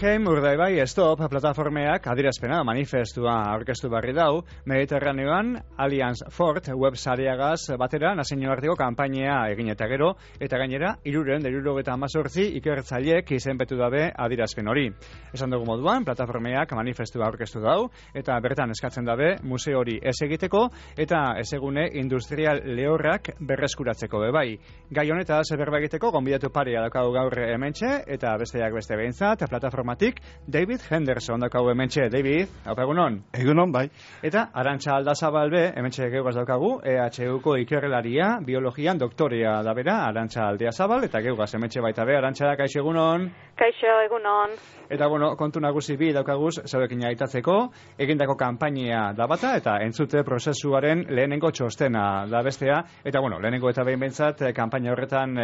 Guggenheim Urdaibai Stop plataformeak adierazpena manifestua aurkeztu berri dau, Mediterraneoan Alliance Fort web sareagaz batera nazioarteko kanpainea egin eta gero, eta gainera 378 ikertzaileek izenpetu dabe adierazpen hori. Esan dugu moduan, plataformeak manifestua aurkeztu dau, eta bertan eskatzen dabe museo hori ez egiteko, eta ezegune industrial lehorrak berreskuratzeko bebai. Gai honetaz berba egiteko gonbidatu parea daukagu gaur hementxe, eta besteak beste behintzat, plataformatik David Henderson daukagu hementxe. David, hau egunon? Egunon, bai. Eta Arantxa Aldazabalbe, hementxe geugaz daukagu, EHUko ikerrelaria, biologian doktorea da bera, Arantxa Aldiazabal, eta geugaz hementxe baita be, Arantxa da, kaixo egunon? Kaixo egunon. Eta, kontu nagusi bi daukaguz, zauekin aitatzeko, egindako kanpainia da bata, eta entzute prozesuaren lehenengo txostena da bestea, eta, lehenengo eta behin behintzat, kanpaina horretan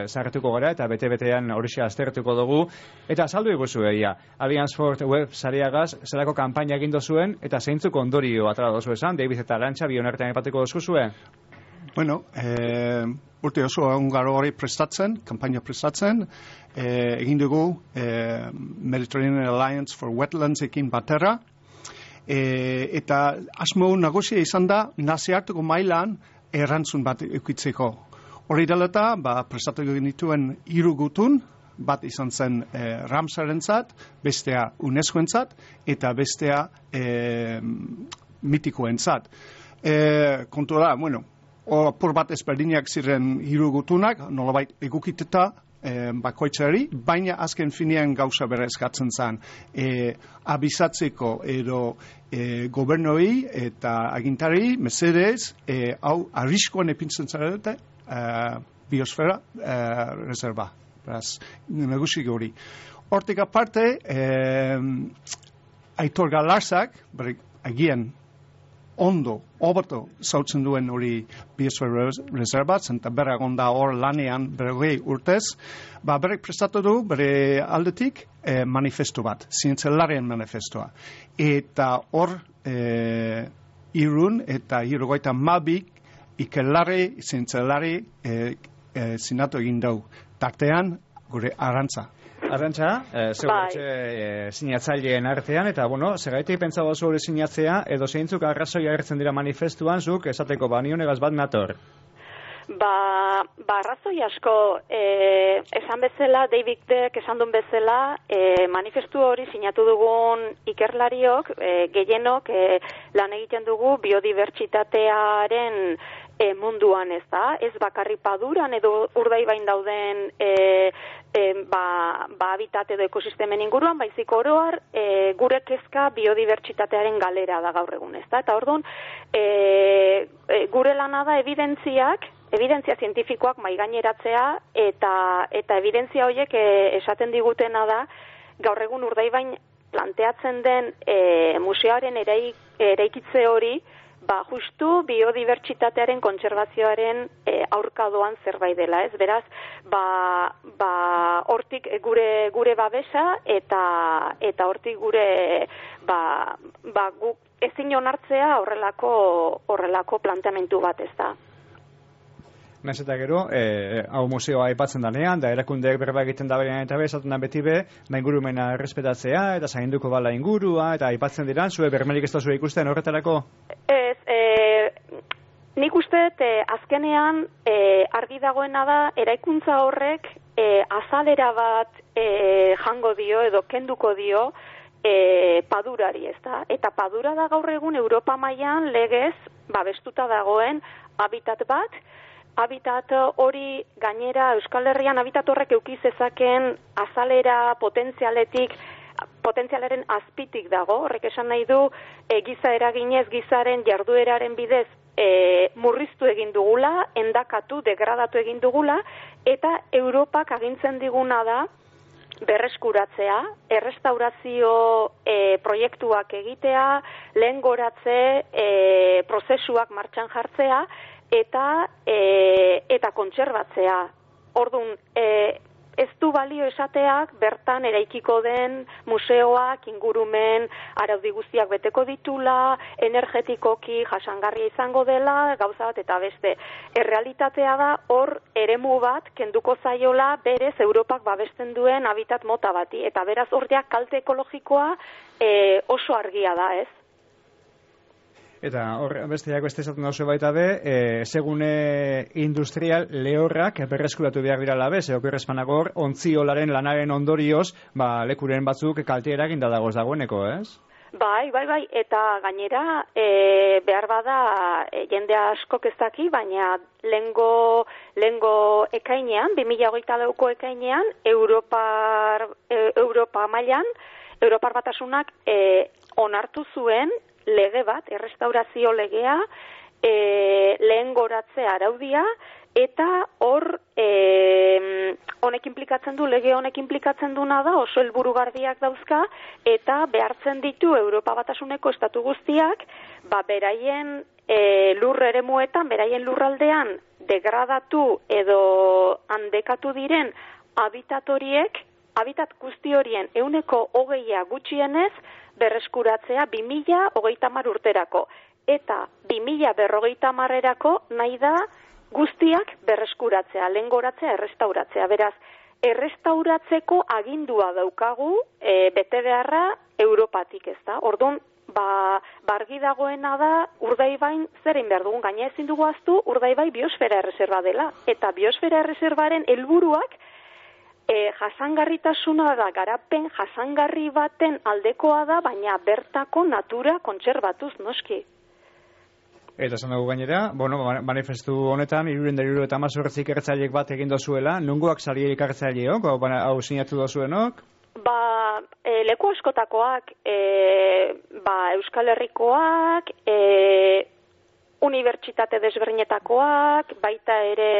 zarretuko gara, eta bete-betean horixe aztertuko dugu, eta azaldu iguzu egia. Alliance Fort web sareagaz, zerako kanpaina egindu zuen, eta zeintzuk ondorio atara dozu esan, David eta Arantxa, bi honertean ipateko dozu zuen? Urte oso ongaro hori prestatzen, kanpaina prestatzen, egin dugu Mediterranean Alliance for Wetlands ekin batera, eta asmo nagusia izan da nazioarteko mailan erantzun bat eukitzeko. Hori dela eta, prestatu genituen 3 gutun, bat izan zen Ramsarentzat, bestea UNESCOentzat, eta bestea mitikoentzat. Kontu da, apur bat ezberdinak ziren 3 gutunak, nolabait egukiteta bakoitzari, baina azken finean gauza bere eskatzen zen. Abizatzeko edo gobernoi eta agintari, mesedez, hau arriskoan epintzen zarete biosfera reserva. Beraz, nagusik hori. Hortik aparte, Aitor Galartzak, agian ondo, hobeto zautzen duen hori biosfera reserva, zenta bera gonda hor lanean 20 urtez, berek prestatu du bere aldetik manifestu bat, zientzialarien manifestua. Eta hor irun eta 32 ikerlari, zientzialari sinatu egin dugu. Tartean, gure Arantxa. Arantxa, sinatzaileen artean, eta, segaitik pentsago zu hori sinatzea, edo zeintzuk arrazoia agertzen dira manifestuan, zuk esateko nionegaz bat nator? Arrazoi asko, esan bezala, Davidek esan duen bezala, manifestu hori sinatu dugun ikerlariok, gehienok lan egiten dugu biodibertsitatearen munduan, ez da? Ez bakarri Paduran edo Urdaibain dauden habitat edo ekosistemen inguruan, baizik oroar gure kezka biodibertsitatearen galera da gaur egun, ez da? Eta orduan, gure lana da evidentzia zientifikoak maigaineratzea eta evidentzia horiek esaten digutena da gaur egun Urdaibain planteatzen den museoaren eraikitze hori justu biodibertsitatearen kontserbazioaren aurkadoan zerbait dela, ez? Beraz, hortik gure babesa eta hortik gure guk ezin onartzea horrelako planteamendu bat, ez da. Naiz eta gero, hau museoa aipatzen danean, da erakundeek berba egiten da berean eta esaten da beti ingurumena errespetatzea, eta zainduko bala ingurua, eta aipatzen diran, zue bermerik ez da zue ikusten horretarako? Nik uste, azkenean argi dagoena da, eraikuntza horrek azalera bat jango dio edo kenduko dio Padurari, ez da? Eta Padura da gaur egun Europa mailan legez babestuta dagoen habitat bat, habitat hori gainera Euskal Herrian habitat horrek eduki zezakeen azalera potentzialaren azpitik dago, horrek esan nahi du giza eraginez gizaren jardueraren bidez murriztu egin dugula, endakatu, degradatu egin dugula, eta Europak agintzen diguna da berreskuratzea, errestaurazio proiektuak egitea, lehengoratze prozesuak martxan jartzea, eta kontserbatzea. Orduan, ez du balio esateak bertan eraikiko den museoak, ingurumen, araudi guztiak beteko ditula, energetikoki jasangarria izango dela, gauza bat eta beste. Errealitatea da hor eremu bat kenduko zaiola berez Europak babesten duen habitat mota bati, eta beraz hor ja kalte ekologikoa oso argia da, ez? Eta hor besteak beste esaten dauze baita be, segune industrial lehorrak berreskuratu behar dira labe, okerrezpanago hor, ontziolaren lanaren ondorioz, lekuren batzuk kalte eraginda dagoz dagoeneko, ez? Bai, eta gainera behar bada jende askok ez daki, baina lengo ekainean, 2022ko ekainean, Europa mailan, Europar Batasunak onartu zuen lege bat, errestaurazio legea, lehen goratze araudia, eta hor lege honek implikatzen duna da, oso helburu garbiak dauzka, eta behartzen ditu Europa Batasuneko estatu guztiak, beraien lur eremuetan, beraien lurraldean degradatu edo handekatu diren habitat guzti horien 20% gutxienez berreskuratzea 2030 urterako. Eta 2050erako nahi da guztiak berreskuratzea, lehengoratzea, errestauratzea. Beraz, errestauratzeko agindua daukagu bete beharra Europatik, ez da? Orduan, argi dagoena da Urdaibain zerein behar dugun, gaina ezin dugu ahaztu Urdaibai biosfera erreserba dela. Eta biosfera erreserbaren helburuak jasangarritasuna da, garapen jasangarri baten aldekoa da, baina bertako natura kontserbatuz noski. Eta esan dugu gainera, manifestu honetan, 378 ikertzaileek bat egin dozuela, nungoak sari ikertzaileok, hau sinatu dozuenok? Leku askotakoak, Euskal Herrikoak, unibertsitate desberdinetakoak, baita ere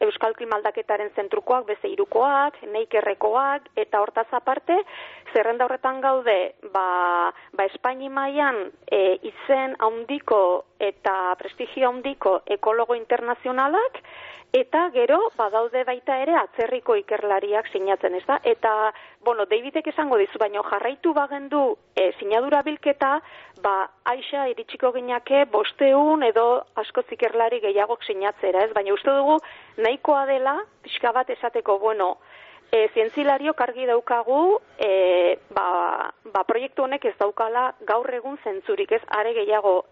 Euskal Klima Aldaketaren zentrukoak, bezeirukoak, Neikerrekoak, eta hortaz aparte, zerrenda horretan gaude, Espaini mailan izen handiko eta prestigio handiko ekologo internazionalak, eta gero badaude baita ere atzerriko ikerlariak sinatzen, ez da? Eta, Davidek esango dizu, baina jarraitu bagendu sinadura bilketa, aixa iritsiko ginake 500 edo askoz ikerlari gehiagok sinatzera, ez? Baina uste dugu nahikoa dela, pixka bat esateko, zientzilariok argi daukagu, proiektu honek ez daukala gaur egun zentzurik, ez? Are gehiago,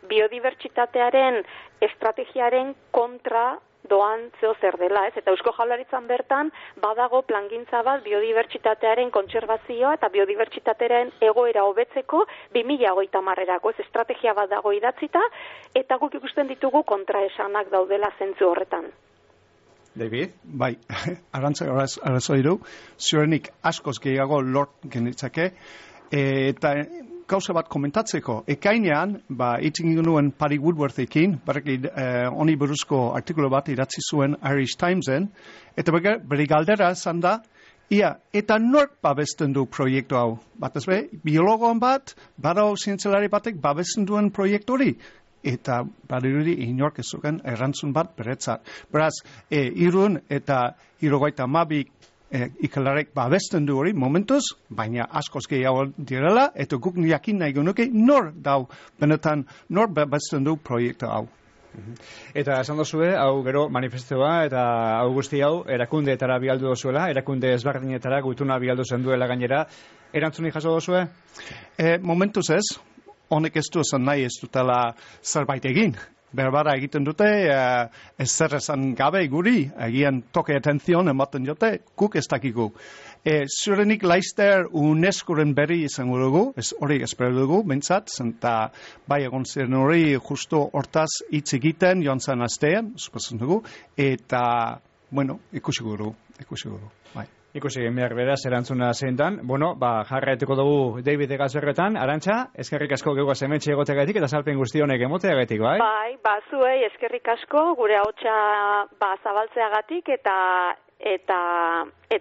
biodibertsitatearen estrategiaren kontra doan zeo zer dela, ez? Eta Eusko Jaurlaritzan bertan badago plangintza bat biodibertsitatearen kontserbazioa eta biodibertsitatearen egoera hobetzeko 2030erako, ez? Estrategia bat dago idatzita, eta guk ikusten ditugu kontraesanak daudela zentzu horretan. David? Bai, arrazoi du, ziurenik askoz gehiago lort genitzake, eta gauza bat komentatzeko, ekainean, itzin genuen Patty Woodworthekin, honi buruzko artikulu bat idatzi zuen Irish Timesen, eta bere galdera zan da, eta nork babesten du proiektu hau? Bat ez be, biologoan bat, badao zientzialari batek babesten duen proiektu hori? Eta badirudi inork ez zuken errantzun bat beretzat. Beraz, Irun eta 72 ikalarek babesten du hori momentuz, baina askoz gehiago direla, eta guk jakin nahi genuke benetan nor babesten du proiektu hau. Eta esan dozue, hau gero manifestua eta hau guzti hau erakundeetara bialdu dozuela, erakunde ezberdinetara gutuna bialdu zen duela gainera, erantzuni jaso dozue? Momentuz ez, honek ez du esan nahi ez dutela zerbait egin. Berbara egiten dute, ez zer esan gabe guri, egian toke atenzion ematen jote, guk ez dakigu. Zurenik laizter UNESCO-ren berri izango dugu, hori espero dugu, bentsat, zenta bai egon ziren hori justo hortaz hitz egiten joan zen astean, suposatzen dugu, eta, ikusiko dugu, bai. Ikusi behar beraz erantzuna zeintan. Jarraituko dugu David Egazerretan. Arantxa, eskerrik asko geugaz hementxe egoteagatik eta salpen guzti honek emoteagatik, bai? Bai, zuei eskerrik asko gure ahotsa zabaltzeagatik eta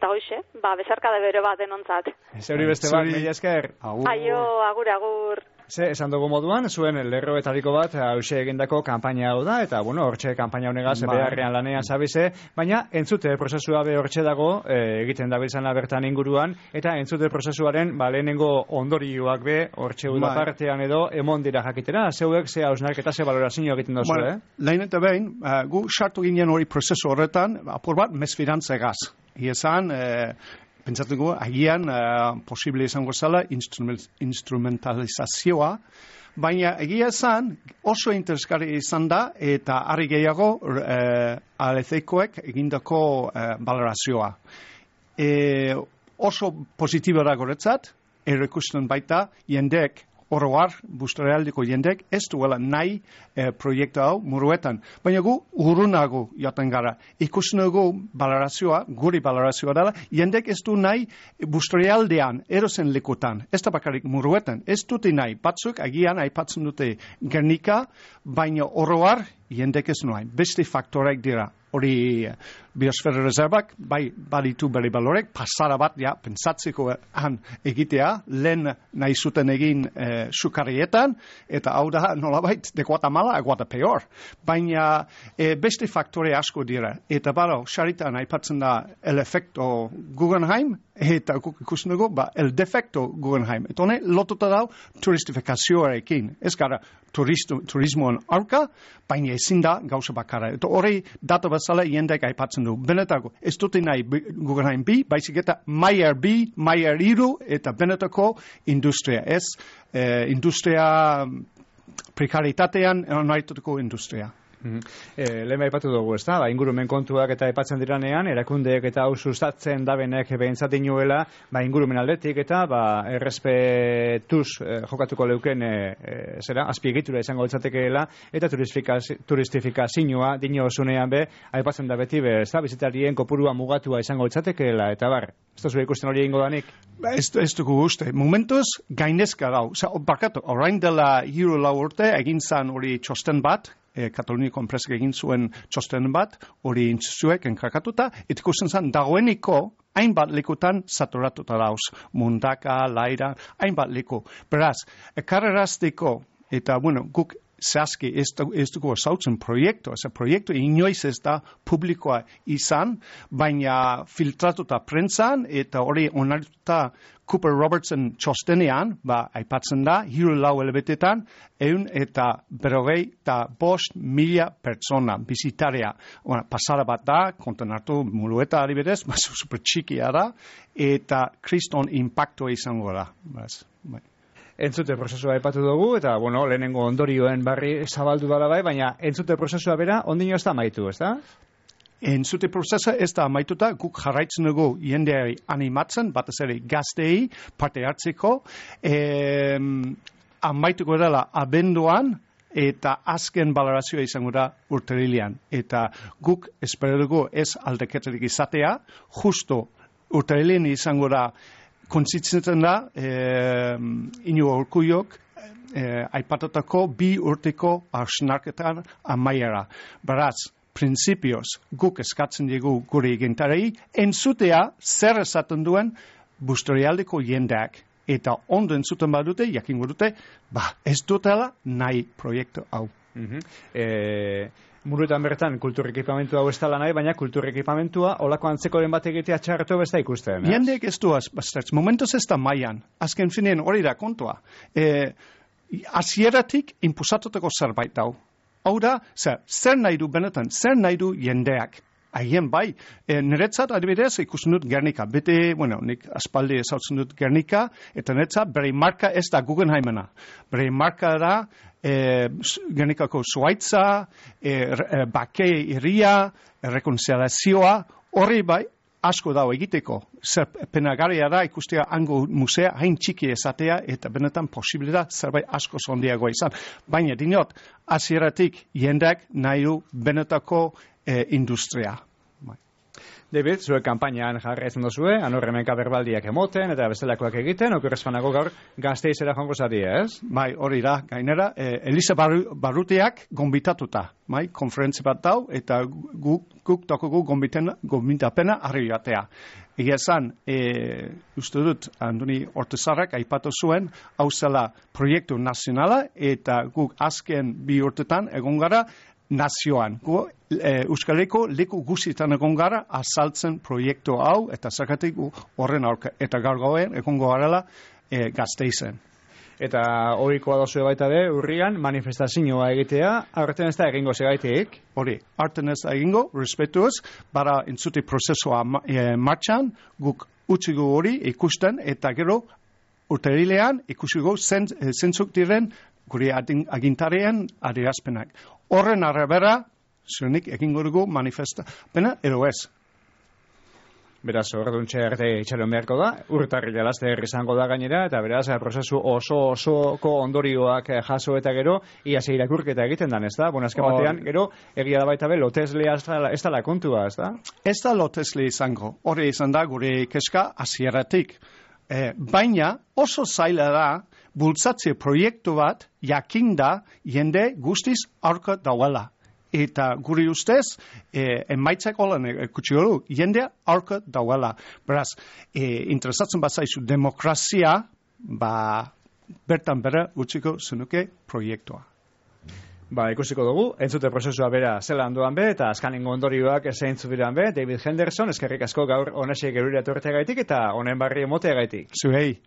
hoixe, besarkada bere bat denontzat. Zeuri beste bat, mila esker. Aio, agur. Ze, esan dugu moduan, zuen lerroetariko bat hause egindako kanpaina hau da, eta, bueno, hortxe kanpaina honegaz beharrean lanean zabize, baina entzute prozesua be hortxe dago, egiten dabiltzana bertan inguruan, eta entzute prozesuaren lehenengo ondorioak be, hortxe da partean edo, emon dira jakitera, zeuek ze hausnarketa ze valorazio egiten dozu, Lehen eta behin, gu sartu ginen hori prozesu horretan, apur bat, mesfidantzegaz. Iezan, pentsatuko, agian posible izango zela instrumentalizazioa, baina egia esan oso interesgarri izan da eta harri gehiago ALC-koek egindako valorazioa. Oso positibo da goretzat, errekusten baita jendek oroar, bustorealdeko jendek, ez duela nahi proiektu hau muruetan. Baina gu urunago jaten gara. Ikusten dugu valorazioa, guri valorazioa dela, jendek ez du nahi bustorealdean, erozen lekutan, ez da bakarrik muruetan, ez dute nahi. Batzuk agian aipatzen dute Gernika, baina oroar jendek ez nahi. Beste faktoreak dira. Hori biosfera reservak, bai baditu bere balorek, pasara bat, pentsatzeko egitea, lehen nahi zuten egin sukarrietan, eta hau da nolabait de Guatemala a Guatepeor. Baina beste faktore asko dira. Eta baro, xaritan aipatzen da el efecto Guggenheim, eta ikusten dugu, el defecto Guggenheim. Eta hone, lotuta dau turistifikazioarekin. Ez gara turismoan aurka, baina ezin da gauza bakarra. Eta hori data bezala jendek aipatzen du. Benetako, ez dute nahi Guggenheim bi, baizik eta Maier bi, Maier iru, eta benetako industria. Ez, industria prekaritatean nahitutako industria. Lehen aipatu dugu, ez da? Ingurumen kontuak eta aipatzen diranean, erakundeek eta hau sustatzen dabenek behintzat inuela, ingurumen aldetik eta errespetuz jokatuko leuken azpiegitura izango litzatekeela eta turistifikazioa dino osunean be, aipatzen da beti ez da, bizitarien kopurua mugatua izango litzatekeela, eta ez da zure ikusten hori egingo danik? Ez dugu uste. Momentuz gainezka gau. Barkatu, orain dela hiru lau urte egin zan hori txosten bat, Kataluniako enpresak egin zuen txosten bat, hori intzuzuek enkrakatuta, eta ikusten zen dagoeniko hainbat lekutan saturatuta dauz. Mundaka, Laira, hainbat leku. Beraz, ekarrerazteko, eta guk zehazki ez dugu zautzen proiektu inoiz ez da publikoa izan, baina filtratuta prentzan, eta hori onartuta Cooper Robertson txostenean, aipatzen da, hiru lau elebetetan, 155,000 pertsona, bizitarea. Pasara bat da, konten hartu Murueta adibidez, super txikia da, eta kriston impactua izango da. Entzute prozesua aipatu dugu, eta lehenengo ondorioen barri zabaldu dala baina entzute prozesua bera, ondino ez da amaitu, ez da? Entzute prozesa ez da amaituta, guk jarraitzen dugu jendeari animatzen, batez ere gaztei parte hartzeko, amaituko dela abenduan, eta azken balorazioa izango da urtarrilean. Eta guk espero dugu ez aldaketarik izatea, justo urtarrilean izango da kontzitzen da Iñigo Urkullok aipatutako 2 urteko hausnarketan amaiera. Beraz, prinsipioz guk eskatzen dugu gure egintarei, entzutea zer esaten duen Busturialdeko jendeak. Eta ondo entzuten badute, jakingo dute, ez dutela nahi proiektu hau. Muruetan bertan kulturrekipamentua hau ez dela nahi, baina kulturrekipamentua olako antzekoren bat egitea txarretu besta ikusten. Jendeek ez du momentuz ez da maian. Azken finean hori da kontua. Hasieratik inpusatutako zerbait hau. Hau da, zer nahi du benetan, zer nahi du jendeak. Haien bai, niretzat adibidez ikusten dut Gernika. Bete, nik aspaldi ezautzen dut Gernika, eta niretzat bere marka ez da Guggenheimena. Bere marka da Gernikako zuaitza, bake irria, rekonzializazioa, hori bai, asko dago egiteko. Zer penagarria da ikustea hango musea hain txiki ezatea eta benetan posible da zerbait asko zondiagoa izan. Baina dinot, hasieratik jendeak nahi du benetako industria. David, zuek kanpainan jarraitzen duzue, anorremenka berbaldiak emoten, eta bestelakoak egiten, okerrezpanago gaur Gasteizera joango zari, ez? Bai, hori da, gainera, Elisa Barrutiak gonbitatuta, bai, konferentzi bat dau, eta guk tokugu gonbitapena harri batea. Egia esan, uste dut, Andoni Ortezarrak aipatu zuen, hau zela proiektu nazionala, eta guk azken 2 urtetan egon gara nazioan. Gu Euskal Herriko leku guztietan egon gara azaltzen proiektu hau, eta zakatik horren aurka, eta gaur gauen egongo garela Gasteizen. Eta horikoa dozue baita be, urrian manifestazioa egitea, aurten ez da egingo segaitik? Hori, aurten ez da egingo, respetuaz, bara entzute prozesua martxan, guk utzigu hori ikusten, eta gero urterilean ikusigo zentzuk diren gure agintarien adierazpenak. Horren arabera, zuenik egingo dugu manifestapena, edo ez. Beraz, orduntxe arte itxaron beharko da, urtarrila laster izango da gainera, eta beraz, prozesu osoko ondorioak jaso eta gero, iaz irakurketa egiten dan, ez da? Bueno, azken batean, gero, egia da baita be, loteslea ez da la kontua, ez da? Ez da lotesle izango, hori izan da gure keska hasieratik. Baina, oso zaila da, bultzatze proiektu bat, jakinda, jende guztiz aurka dauela. Eta guri ustez, emaitzak holan ekutsi hori, jendea aurka dauela. Beraz, interesatzen bat zaizu demokrazia, bertan bera utziko zenuke proiektua. Ikusiko dugu, entzute prozesua bera zela handuan be, eta azkanengo ondorioak zeintzu diran be, David Henderson, eskerrik asko gaur honesek gerura etorteagaitik eta honen barri emoteagaitik. Zuhei.